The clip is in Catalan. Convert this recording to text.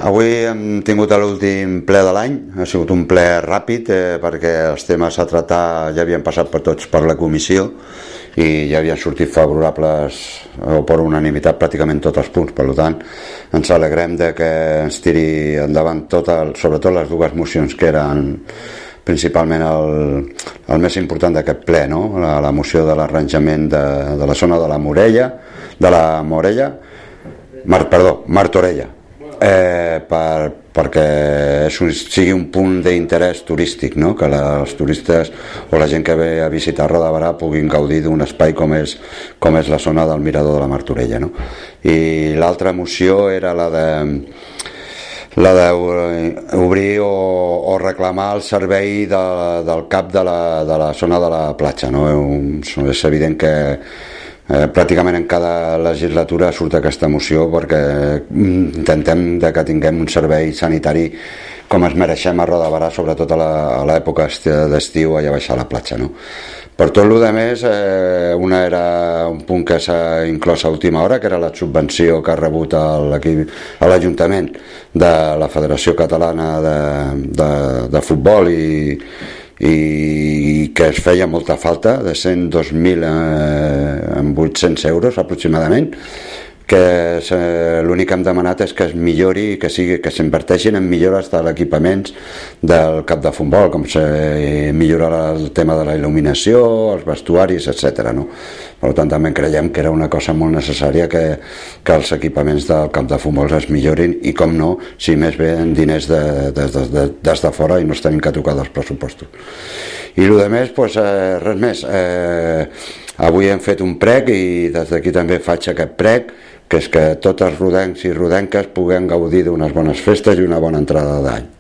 Avui hem tingut l'últim ple de l'any, ha sigut un ple ràpid perquè els temes a tratar ja havien passat per tots per la comissió i ja havien sortit favorables o per unanimitat pràcticament tots els punts. Per tant, ens alegrem de que ens tiri endavant sobretot les dues mocions que eren principalment el més important d'aquest ple, no? La moció de l'arranjament de la zona de la Martorella, perquè sigui un punt d'interès turístic, no? Que els turistes o la gent que ve a visitar Roda de Berà puguin gaudir d'un espai com és la zona del Mirador de la Martorella, no? I l'altra moció era la d'obrir o reclamar el servei del CAP de la zona de la platja, no? És evident que pràcticament en cada legislatura surt aquesta moció perquè intentem que tinguem un servei sanitari com es mereixem a Roda de Berà, sobretot a l'època d'estiu allà baix a la platja, no? Per tot el que més, una era un punt que s'ha inclòs a última hora, que era la subvenció que ha rebut a l'Ajuntament de la Federació Catalana de Futbol i que es feia molta falta, de 102.800 euros aproximadament, que l'únic que hem demanat és que es millori, que s'inverteixin en millores de l'equipaments del camp de futbol, com millorar el tema de la il·luminació, els vestuaris, etc. No? Per tant, també creiem que era una cosa molt necessària que els equipaments del camp de futbol es millorin i, com no, si més bé en diners des de fora i no es tenim que tocar dels pressupostos. I el que més, res més. Avui hem fet un prec i des d'aquí també faig aquest prec, que és que tots els rodencs i rodenques puguem gaudir d'unes bones festes i una bona entrada d'any.